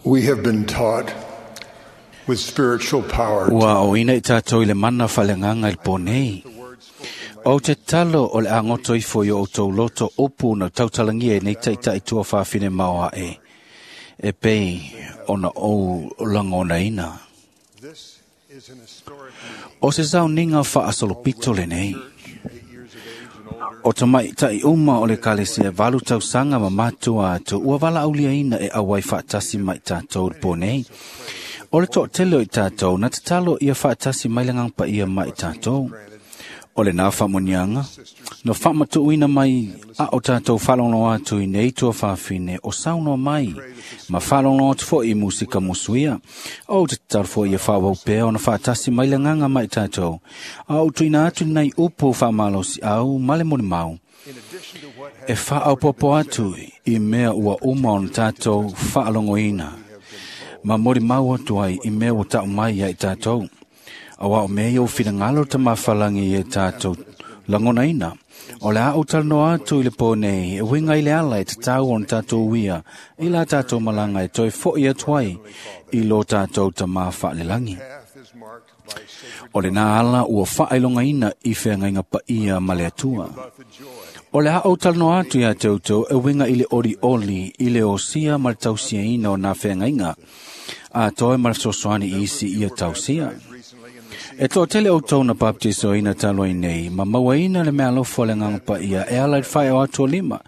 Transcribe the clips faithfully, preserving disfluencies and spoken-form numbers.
We have been taught with spiritual power Ua o ina i tātou i le mana whalengaga i le pō nei. O te talo o le angoto ifo i o outou loto upu na tautalangia e nei taitai tua whawhine maoa e. E pei ona ou langonaina. This is an historic meeting. O se sauniga faasolopito lenei. Eight years of age and older. O ta mai tai uma o le kalesia valu tausaga ma matua atu ua valaauliaina e auai faatasi mai tātou le pō nei. O le toatele o i tātou na tatalo ia faatasi mai le agaga paia mai tātou. O le nā faamoniaga, na faamatuuina mai a o tātou faalogologo atu i nei tua fafine o saunoa mai, ma faalogologo atu foi i musika musuia. O te tatalo foi ia faaauau pea ona faatasi mai le agaga mai tātou. A o tuuina atu nei upu faamalosiau ma le molimau. In addition to what E faaopopo atu i mea ua uma ona tātou faalogoina. Ma molimau atu ai i mea ua tau mai ia i tātou. Aua o mea ia o finagalo ta mafalangi e tātou lagonaina. O le a ou talanoa atu i le pō nei, e uiga i le ala e tatau ona tātou uia, i la tātou malaga e toe foi atu ai i lo tātou tamā faalelagi. path is marked by sacred O le nā ala ua faailogaina i feagaiga paia ma le Atua. about the joy O le a ou talanoa atu ia te outou e uiga i le olioli, i le osia ma le tausiaina o nā feagaiga, a toe ma le fesoasoani i isi ia tausia. recently in the E toatele outou na baptisoina talu ai nei, ma mauaina le mealofa o le agaga paia e ala i le faeo atu o lima.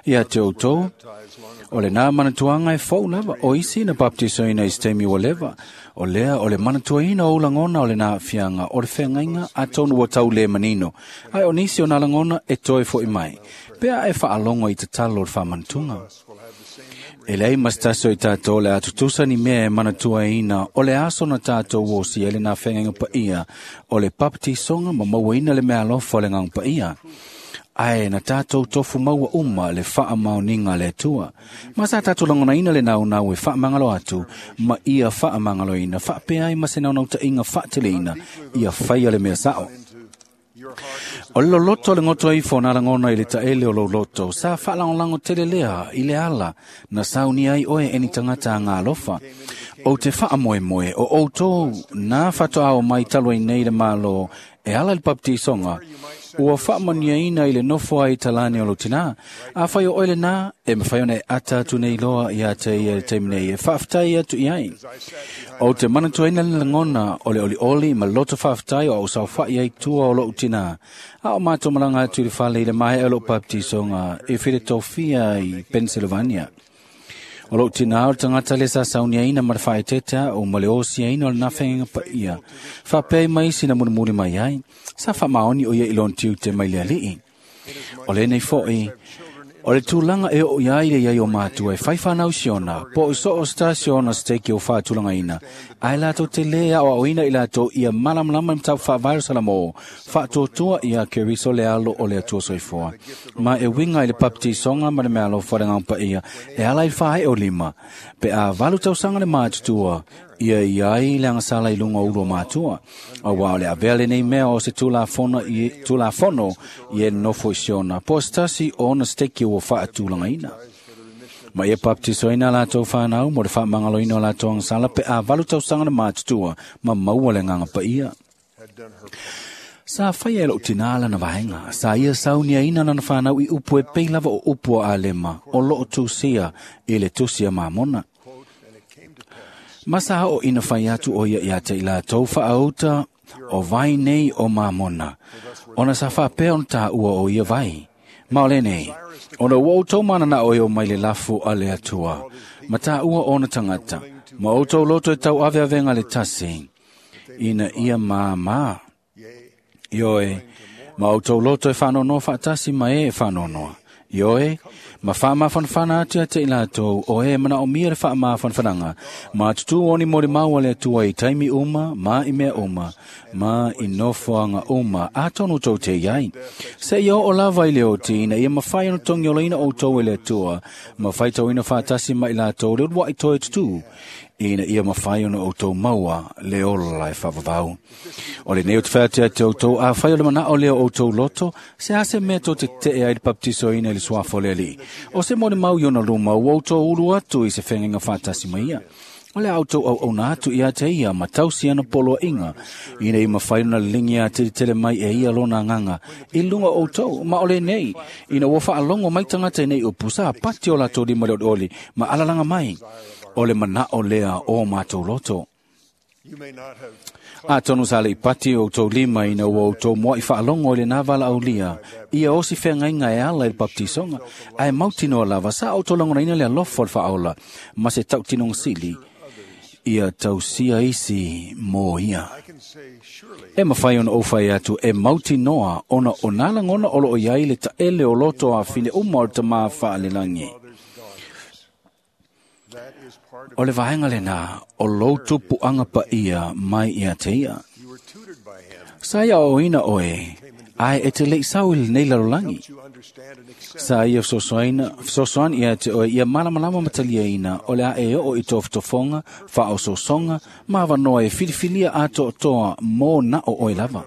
Ia te outou, baptized long ago. o le nā manatuaga e fou lava, o isi na baptisoina i se taimi ua leva. O lea o le manatuaina o lagona o le nā aafiaga o le feagaiga atonu ua tau le manino. Ae o nisi o nā lagona e toe foi mai. Pea e faalogo i tatalo o le faamanatuga. Us will have the same memory. E leai ma se tasi o i tātou le atutusa ni mea e manatuaina o le aso na tātou osia i le nā feagaiga paia o le papatisoga ma mauaina le mealofa o le agaga paia. Ae na tātou tofu maua uma le faamaoniga a le Atua. Ma sa tātou lagonaina le naunau e faamagalo atu, ma ia faamagaloina faapea ai ma se naunautaiga faateleina ia faia le mea sao. Into your heart was O le loloto o le goto ifo na lagona i le taele o lou loto, sa faalagolago tele lea i le ala, na saunia ai oe e ni tagata agalofa. O te faamoemoe o outou na faatoao mai talu ai nei le Malo e ala i le papatisoga, ua faamaniaina i le nofo ai talane o lou tinā. Afai o oe lenā, e mafai ona e ata atu nei loa ia te ia i le taimi nei e faafetai atu i ai. O te manatuaina le lagona o le olioli ma loto faafetai o au saofai ai tua o lou tinā. A o mātou malaga atu i le fale i le maea o lou baptisoga i Philadelphia i Pennsylvania. O lou tinā o le tagata le sa sauniaina ma le faaetetea o ma le osiaina o le nafeaga paia. Faapea mai isi na mulimuli mai ai, sa faamaoni o ia i lona tiute mai le alii. O lenei foi, o le tulaga e oo i ai le iai o matua e fai fanau siona, po o so o se tasi ona se teiki o faatulagaina, ae latou te lē aoaoina i latou ia malamalama i mataupu faavae o Salamo, faatuatua ia Keriso le alo o le Atua soifua. Ma e uiga i le papatisoga ma le mealofa o le agaga paia e ala i le faaee o lima, pe a valu tausaga le matutua, ia i ai le agasala i luga o ulu o matua. Auā o le avea lenei mea o se tulafono i, tulafono i e nofo i Siona, po o se tasi o ona se teiki ua faatulagaina. Ma ia baptisoina latou fanau mo le faamagaloina o latou agasala pe a valu tausaga le matutua ma maua le agaga paia. had done her part. Sa faia e lou tinā lana vaega, sa ia sauniaina lana fanau i upu e pei lava o upu o Alema, o loo tusia i le tusi a Mamona. Quote, and it came to pass Ma sa o ina fai atu o ia ia te i latou faauta o vai nei o Mamona. Ona sa faapea ona tāua o ia vai. Ma o lenei, ona ua outou mananao e o mai le lafu a le Atua, ma tāua ona tagata, ma outou loto e tau aveavega le tasi, ina ia māmā. yea, Ioe, ma outou loto e whanonoa whaatasi ma e e whanonoa. Ioe, ma whaamafanafana atu ia te i latou, o e mana o mia le whaamafanafanaga, ma tutu oni mori maua le Atua i taimi uma, ma i mea uma, ma i nofoaga uma, atonu tou te iai. Se ia o lava i le oti, ina ia mawhai ono tongi olaina outou e le Atua, ma whaitauina whaatasi ma i latou le uluai toe tutu, ina ia mawhai ono outou maua le ola e whavavau. O le nei o te whatea te outou, a whai o le mana o leo outou loto, se ase mea tō te te e ai le baptisoina i le le suafa o le Alii. O se molimau i ona luma ua outou ulu atu i se feagaiga faatasi ma ia. O le a outou auauna atu ia te ia ma tausi ana poloaiga, ina ia mafai ona liligi atelitele mai e ia lona agaga i luga o outou, ma o lenei, ina ua faalogo mai tagata i nei upu, sa pati o latou lima i le olioli ma alalaga mai, o le manao lea o matou loto. Atonu sa le i pati o outou lima ina ua outou mua'i faalogo i lenā valaaulia, ia osi feagaiga e ala i le baptisoga, ae mautinoa lava sa outou lagonaina le alofa o le faaola ma se tautinoga sili, ia tausia isi mo ia. E mafai ona ou fai atu e mautinoa ona o nā lagona o loo i ai le taele o loto afine uma o le tamā faalelagi. O le vaega lenā o lou tupuaga paia mai ia te ia. Sa ia aoaoina oe, ae e te le'i sau i lenei lalolagi. Sa ia fesoasoaina, fesoasoani ia te oe ia malamalama ma taliaina o le a e oo i tofotofoga, faaosoosoga ma avanoa e filifilia atoatoa mo na o oe lava.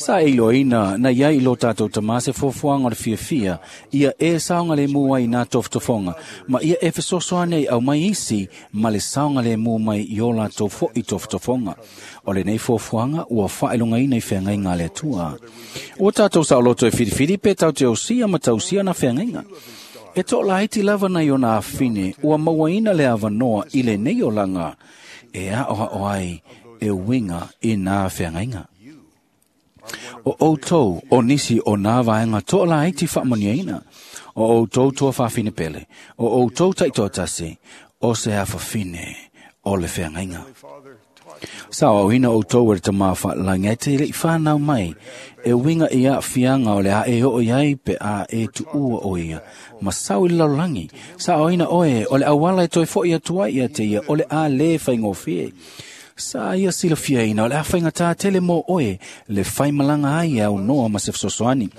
Sa e iloaina na iai i lo tātou tamā se fuafuaga o le fiafia, ia e saogalemu ai i nā tofotofoga, ma ia e fesoasoani ai aumai isi ma le saogalemu mai i o latou fo'i tofotofoga. O lenei fuafuaga ua faailogaina i feagaiga a le Atua. Ua tātou saoloto e filifili pe tatou te osia ma tausia na feagaiga. E toalaiti lava nai ona afine ua mauaina le avanoa i lenei olaga e aoao ai e uiga i nā feagaiga. O outou o nisi o nā vaega toalaiti faamanuiaina, o outou tua faafine pele, o outou taitoatasi, o se afafine o le feagaiga. Sa aoaoina outou e le tamā faalelagi ae te le'i whanau mai, e uiga i aafiaga o le a e oo i ai pe a e tuua o ia, ma sau i le lalolagi. Sa aoaoina oe o le auala e toe fo'i atu ai ia te ia o le a lē faigofie. Sa ia silafiaina o le a faigata tele mo oe le faimalaga ai e aunoa ma se fesoasoani.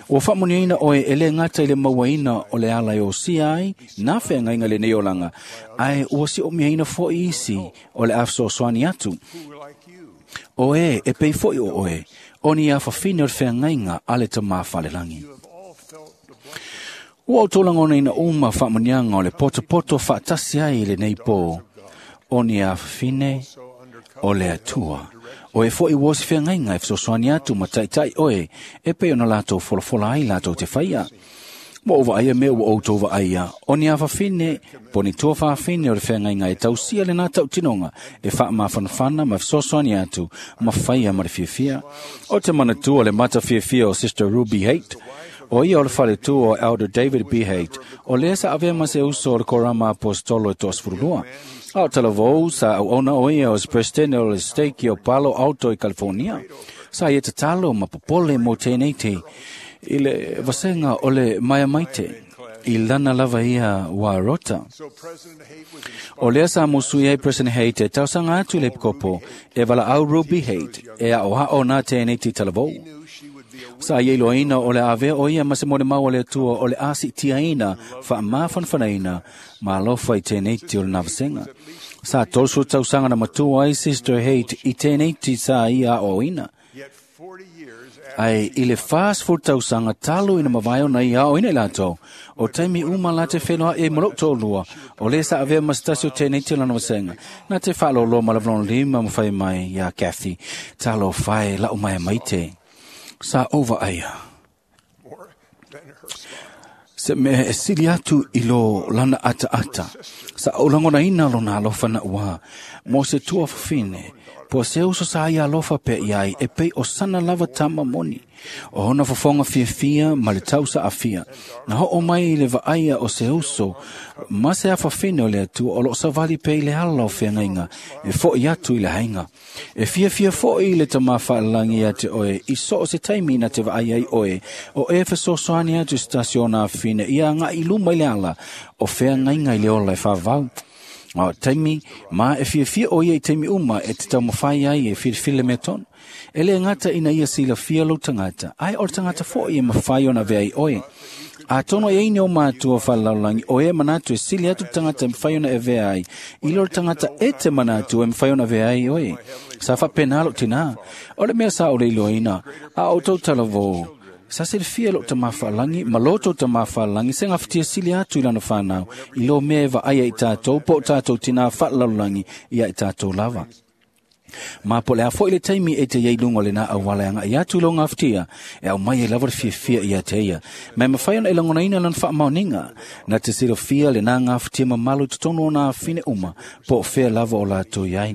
Ua faamanuiaina oe e lē gata i le mauaina o le ala e osia ai nā feagaiga i lenei olaga, ae ua si'omiaina fo'i isi o le a fesoasoani atu. O e e pei fo'i o oe, o ni afafine o le feagaiga a le tamā faalelagi. Ua outou lagonaina uma faamanuiaga o le potopoto faatasi ai i lenei pō, o ni afafine o le Atua. O e fo'i ua o se feagaiga e fesoasoani atu ma taitai oe, e pei ona latou folafola ai latou te faia. Ua ou vaaia mea ua outou vaaia, o ni afafine, po o ni tua fafine o le feagaiga e tausia lenā tautinoga, e faamafanafana ma fesoasoani atu, ma faia ma le fiafia. O te manatua le mata fiafia o Sister Ruby Haight, o ia o le faletua o Elder David B. Haight, o lea sa avea ma se uso o le Korama Aposetolo e toasefululua. A o talavou sa auauna o ia o se presidente o le stake o Palo Alto i California. Sa ia tatalo ma popole mo tēnei te i le vasega o le maiamaite i lana lava ia wā rota. O lea sa musui ai President Haight e tausaga atu i le epikopo e valaau Ruby Haight e aoao nā tēnei te talavou. Sa ia iloaina o le avea o ia ma se molimau a le Atua o le a siitiaina faamafanafanaina ma alofa i tēnei te o le navasega. Sa tolusu tausaga na matua ai Sister Haight i tēnei te sa ia aoaoina. Ae i le fasefulu tausaga talu ina mavae ona ia aoaoina i latou, o taimi uma la te whenua e ma lou toalua, o lea sa avea ma se tasi o tēnei te o lana vasega. Nā te faaloloa ma le lona lima ma fai mai iā Kathy, talofa e la'u mai maite. Sa ou vaaia. Se mea e sili atu i lo lana ataata. Sa ou lagonaina lona alofa na'uā, mo se tua fafine, po se uso sa ia alofa pe iai e pei o sana lava tama moni. O hona fofoga fiafia ma le tausa afia. Na ho'o mai i le vaaia o se uso, ma se afafine o le Atua o loo savali pe i le ala o feagaiga, e fo'i atu i le aiga. E fiafia fo'i le tamā faalelagi ia te oe, i so o se taimi na te vaai ai oe, o e fesoasoani atu i se tasi o ona afine, ia aga'i i luma i le ala o feagaiga i le ola e faavavau. O taimi, ma e fiafia o ia i taimi uma e te taumafai ai e filifili le mea tonu. E lē gata ina ia silafia lou tagata, ae o le tagata fo'i e mafai ona avea ai oe. Atonu e ai ni o matua faalelalolagi o e manatu e sili atu le tagata e mafai ona e avea ai, i lo le tagata e te manatu e mafai ona avea ai oe. Sa faapenā lou tinā. O le mea sa ou le iloaina, a outou talavou, Sa silafia e lou tamā faalagi ma lo tou tamā faalagi se gafatia sili atu i lana fanau i lo mea e vaaia i tatou po o tatou tinā faalalolagi ia i tatou lava. Ma po le a foi le taimi e te iai luga o lenā auala e agaʻi atu i lou gafatia e aumai ai lava le fiafia ia te ia. Ma e mafai ona e lagonaina lana faamaoniga na te silafia lenā gafatia mamalu i totonu o nā afine uma po o fea lava o latou iai.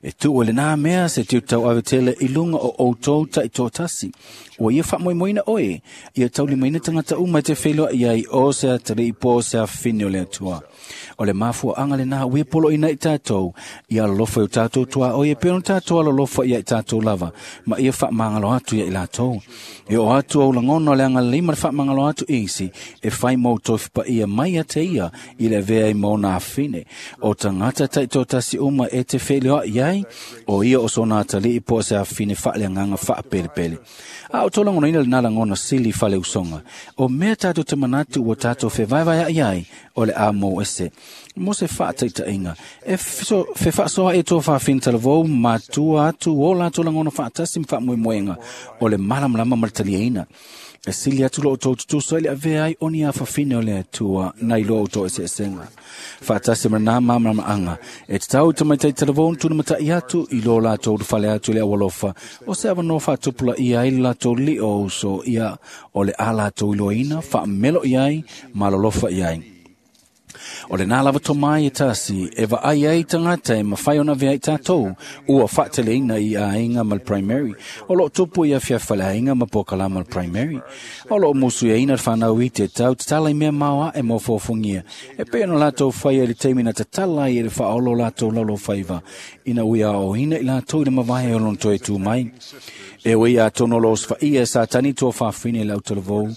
E tuu e lenā mea se tiutauave tele i luga o outou taitoatasi. Ua ia faamoemoeina oe, ia taulimaina tagata uma e te feiloai ai o se atalii po o se afine o le Atua. O le mafuaaga lenā ua ia poloina i tatou, ia alolofa i o tatou tuaoi e pei ona tatou alolofa ia i tatou lava, ma ia faamagalo atu ia i latou. E oo atu ou lagona o le agalelei ma le faamagalo atu isi, e fai ma outou fepaia mai ia te ia i le avea ai ma ona afine. O tagata taitoatasi uma e te feiloai ai, o ia o sona atalii po o se afine faaleagaga faapelepele. A o tolagonaina lenā lagona sili faleusoga. O mea tatou te manatu ua tatou fevaevaeaʻi ai, o le a mou ese. Mo se faataitaiga, e fefaasoaʻi e tua fafine talavou matua atu o latou lagona faatasi ma faamoemoega o le malamalama ma le taliaina. E sili atu lo outou tutusa i le avea ai o ni afafine o le Atua nai lo outou eseesega. Faatasi ma lenā malamalamaaga, e tatau i tamaitai talavou ona tulimataʻi atu i lo latou ulufale atu i le aualofa, o se avanoa faatupulaia ai le latou lio o uso ia o le a latou iloaina, faameloʻi ai ma alolofa i ai. O lenā lava tomai e tasi e vaai ai tagata e mafai ona avea i tatou ua faateleina i aiga ma le primary. O loo tupu i afiafi faleaiga ma pokalama le primary. O loo musuiaina le fanau i te tau tatala i mea maoaʻe mo fofogia. E pei ona latou faia i le taimi na tatala ai e le faaolo latou laulofaiva ina ua aoaoina i latou i le mavae o lona toe tu mai. E ui atonu o lo osofaia e Satani tua fafine i le autalavou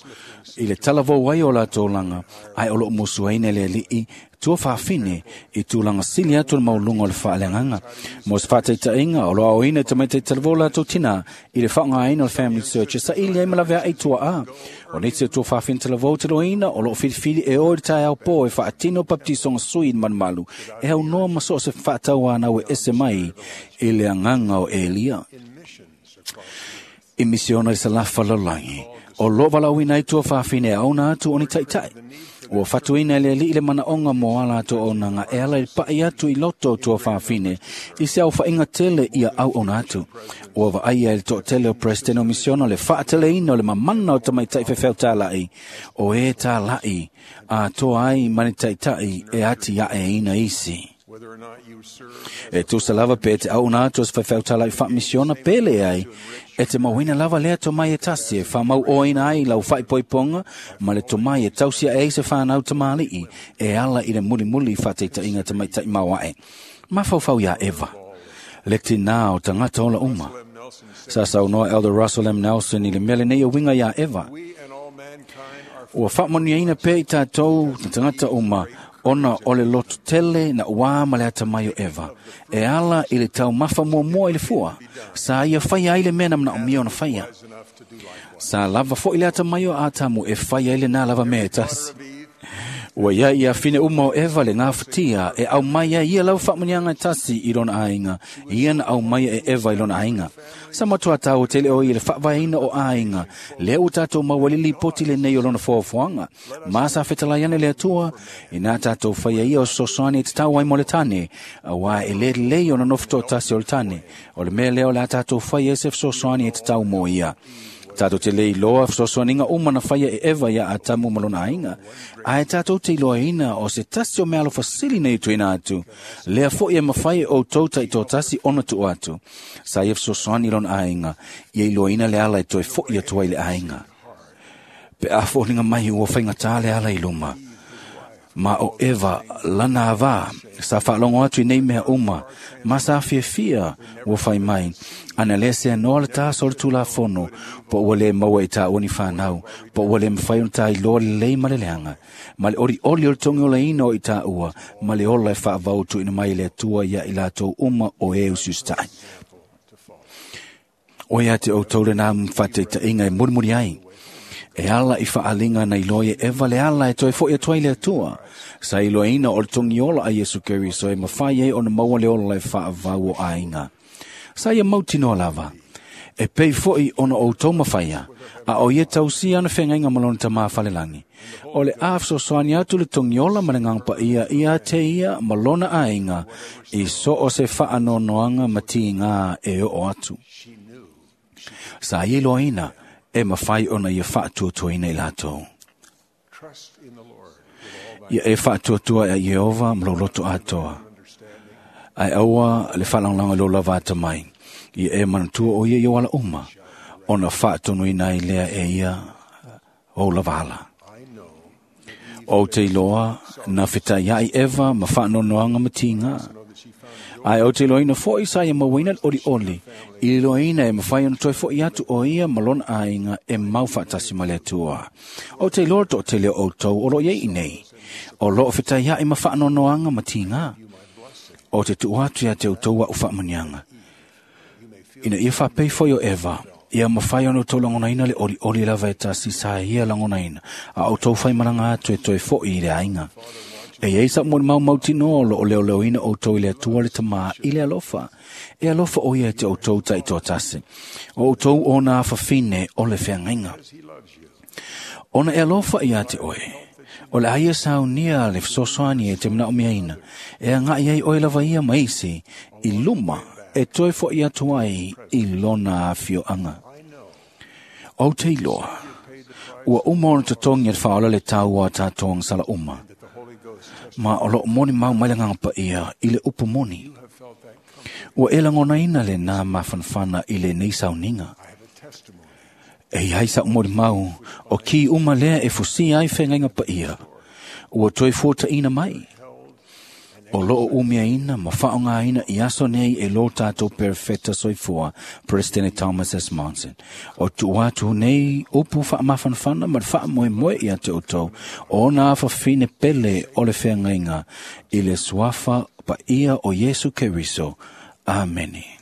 i le talavou ai o latou laga, ae o loo musuaina e le Alii tua fafine i tulaga sili atu le mauluga o le faaleagaga. Mo se faataitaiga, o lo aoina e tamaitai talavou latou tinā i le faaaogaina o le Family Search e saili ai ma laveai tuaa. O nisi o tua fafine talavou taloina o loo filifili e o i le taeao po e faatino papatisoga sui i le malumalu e aunoa ma so o se faatauanau e ese mai i le agaga o Elia. I misiona i salafa lalolagi, o loo valaauina ai tua fafine e auna atu o ni taʻitaʻi. Ua fatuina e le Alii le manaoga mo a latou auaunaga e ala i le paʻi atu i loto o tua fafine i se aofaiga tele ia auauna atu. Ua vaaia e le toatele o Peresetene o Misiona le faateleina o le mamana o tamaitaʻi faifeau o e tālaʻi atoa ai ma ni taʻitaʻi e atiaʻeina isi. E tusa lava pe te auauna atu o se faifeau tālaʻi faamisiona pe leai, e te mauina lava lea tomai e tasi e faamauoina ai lau faaipoipoga ma le tomai e tausi aʻe ai se fanau tamalii e ala i le mulimuli faataitaiga tamaitaʻi maoaʻe. Mafaufau iā Eva, le tinā o tagata ola uma. Sa saunoa Elder Russell M. Nelson i le mea lenei e uiga iā Eva. Ua faamanuiaina pea i tatou tagata uma ona o le loto tele na uā ma le atamai o Eva. E ala i le taumafa muamua i le fua, sa ia faia ai le mea na manaomia ona faia. Sa lava foi le atamai o Atamu e faia ai lenā lava mea e tasi. Ua ia ia fine uma o Eva le gafatia e aumai ai ia lava faamanuiaga e tasi i lona aiga, ia na aumai e Eva i lona aiga. Sa matua taua tele o ia le faavaeina o aiga, lea ua tatou maua ai le lipoti lenei o lona foafoaga. Ma sa fetalai ane le Atua, ina tatou faia ia o fesoasoani e tatau ai mo le tane, auā e le lelei ona nofo toatasi o le tane. O le mea lea o le a tatou faia ai se fesoasoani e tatau mo ia. Tatou te le iloa fesoasoaniga uma na faia e Eva iā Atamu ma lona aiga, ae tatou te iloaina o se tasi o meaalofa sili nei tuuina atu, lea foʻi e mafai e outou taitoatasi ona tuu atu. Sa ia fesoasoani i lona aiga, ia iloaina le ala e toe foʻi atu ai le aiga. Pe a foliga mai ua faigatā le ala i luma. Ma o Eva lana avā, sa faalogo atu i nei mea uma, ma sa fiafia ua fai mai, ana le sea noa le taso o le tulafono, po ua le maua i tāua ni fanau, po ua le mafai ona tailoa lelei ma le leaga, ma le olioli o le togiolaina o i tāua, ma le ola e faavau tuuina mai e le Atua ia i latou uma o e usiusitaʻi. O ia te outou lenā faataitaiga e mulimuli ai. E ala i faaliga na iloa e Eva le ala e toe foʻi atu ai le Atua. Sa iloaina o le togiola a Iesu Keriso e mafai ai ona maua le ola e faavau o aiga. Sa ia mautinoa lava. E pei fo'i ona outou mafaia, a o ia tausia ana feagaiga ma lona Tamā falelagi. O le a fesoasoani atu le togiola ma le Agaga Paia ia te ia ma lona aiga i so o se faanoanoaga ma tigā e oo atu. Sa ia iloaina e mafai ona ia faatuatuaina i latou. Ia e faatuatua ia Ieova ma lou loto atoa. Ae aua le faalagolago i lou lava atamai. Ia e manatua o ia i ou ala uma, ona faatonuina ai lea e ia ou lava ala. Ou te iloa na fetaiai Eva ma faanoanoaga ma tigā. Ae ou te iloaina fo'i sa ia mauaina le olioli, i le iloaina e mafai ona toe fo'i atu o ia ma lona aiga e mau faatasi ma le Atua. Ou te iloa le toatele o outou o loo iai i nei, o loo fetaiai ma faanoanoaga ma tigā. O te tuu atu ia te outou a'u faamanuiaga. Ina ia faapei foi o Eva, ia mafai ona outou lagonaina le olioli lava e tasi sa ia lagonaina, a outou faimalaga atu e toe fo'i i le aiga. E iai sa'u molimau mautinoa o loo leoleoina outou i le Atua le Tamā i le alofa. E alofa o ia e te outou taitoatasi. O outou ona afafine o le feagaiga. Ona e alofa ia te oe. O le a ia saunia le fesoasoani e te manaomiaina. E aga'i ai oe lava ia ma isi i luma e toe fo'i atu ai i lona afioaga. Ou te iloa, ua uma ona totogi e le Faaola le tau a tatou agasala uma. Ma o loo moni mau mai le Agaga Paia i le upu moni. Ua e lagonaina lenā mafanafana i lenei sauniga. E iai sa'u molimau o ki uma lea e fusia ai feagaiga paia, ua toe fuataʻina mai. O loo umiaina ma faaaogāina i aso nei e lo tatou perofeta soifua, Peresetene Thomas S. Monson. O tuu atu nei upu faamafanafana ma le faamoemoe ia te outou, ona afafine pele o le feagaiga i le suafa paia o Iesu Keriso. Amene.